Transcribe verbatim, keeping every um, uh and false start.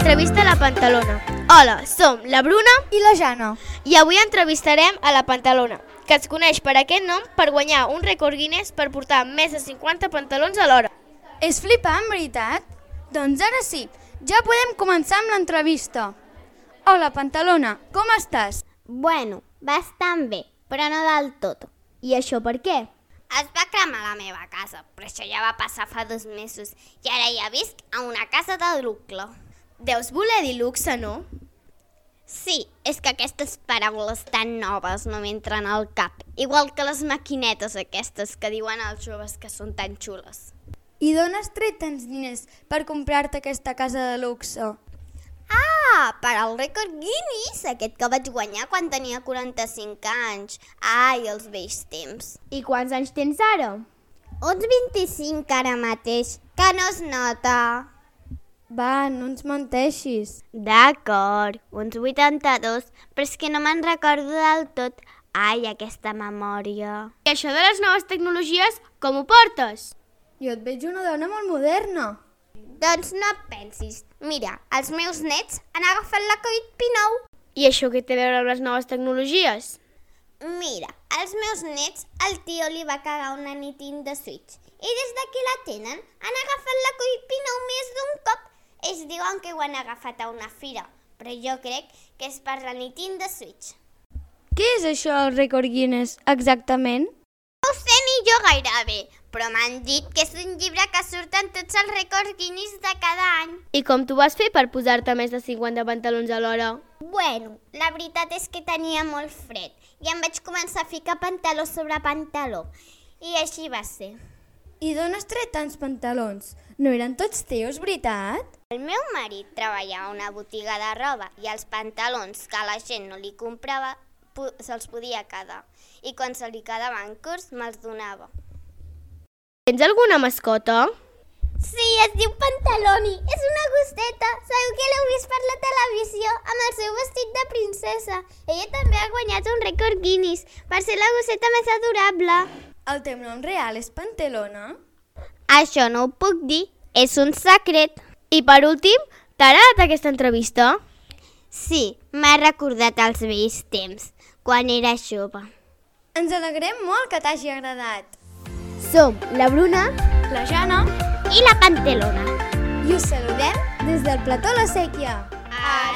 l'entrevista a la Pantalona. Hola, som la Bruna i la Jana. I avui entrevistarem a la Pantalona, que es coneix per aquest nom per guanyar un rècord Guinness per portar més de cinquanta pantalons alhora. És flipant, veritat? Doncs ara sí, ja podem començar amb l'entrevista. Hola, Pantalona, com estàs? Bueno, bastant bé, però no del tot. I això per què? Es va cremar la meva casa, però això ja va passar fa dos mesos i ara ja visc a una casa de luxe. Deus voler dir luxe, no? Sí, és que aquestes paraules tan noves no m'entren al cap, igual que les maquinetes aquestes que diuen als joves que són tan xules. I d'on has tret tants diners per comprar-te aquesta casa de luxe? Ah, per al rècord Guinness, aquest que vaig guanyar quan tenia quaranta-cinc anys. Ai, els vells temps. I quants anys tens ara? Uns vint-i-cinc ara mateix, que no es nota. Va, no ens menteixis. D'acord, uns vuitanta-dos, però és que no me'n recordo del tot. Ai, aquesta memòria. I això de les noves tecnologies, com ho portes? Jo et veig una dona molt moderna. Doncs no et pensis. Mira, els meus nets han agafat la Covid dinou. I això què té a veure amb les noves tecnologies? Mira, als meus nets el tio li va cagar una Nintendo Switch. I des de que la tenen han agafat la Covid dinou més d'un cop. Ells diuen que ho han agafat a una fira, però jo crec que és per la Nintendo Switch. Què és això, el rècord Guinness, exactament? No ho sé ni jo gaire bé, però m'han dit que és un llibre que surten tots els rècords Guinness de cada any. I com t'ho vas fer per posar-te més de cinquanta pantalons alhora? Bueno, la veritat és que tenia molt fred i em vaig començar a ficar pantaló sobre pantaló. I així va ser. I d'on has tret tants pantalons? No eren tots teus, veritat? El meu marit treballava a una botiga de roba i els pantalons que la gent no li comprava se'ls podia quedar. I quan se li quedaven curts me'ls donava. Tens alguna mascota? Sí, es diu Pantaloni. És una gosseta. Sabeu que l'heu vist per la televisió amb el seu vestit de princesa. Ella també ha guanyat un rècord Guinness per ser la gosseta més adorable. El teu nom real és Pantalona? Això no ho puc dir. És un secret. I per últim, t'ha agradat aquesta entrevista? Sí, m'ha recordat els vells temps, quan era jove. Ens alegrem molt que t'hagi agradat. Som la Bruna, la Jana i la Pantalona. I us saludem des del plató La Sèquia. Adéu!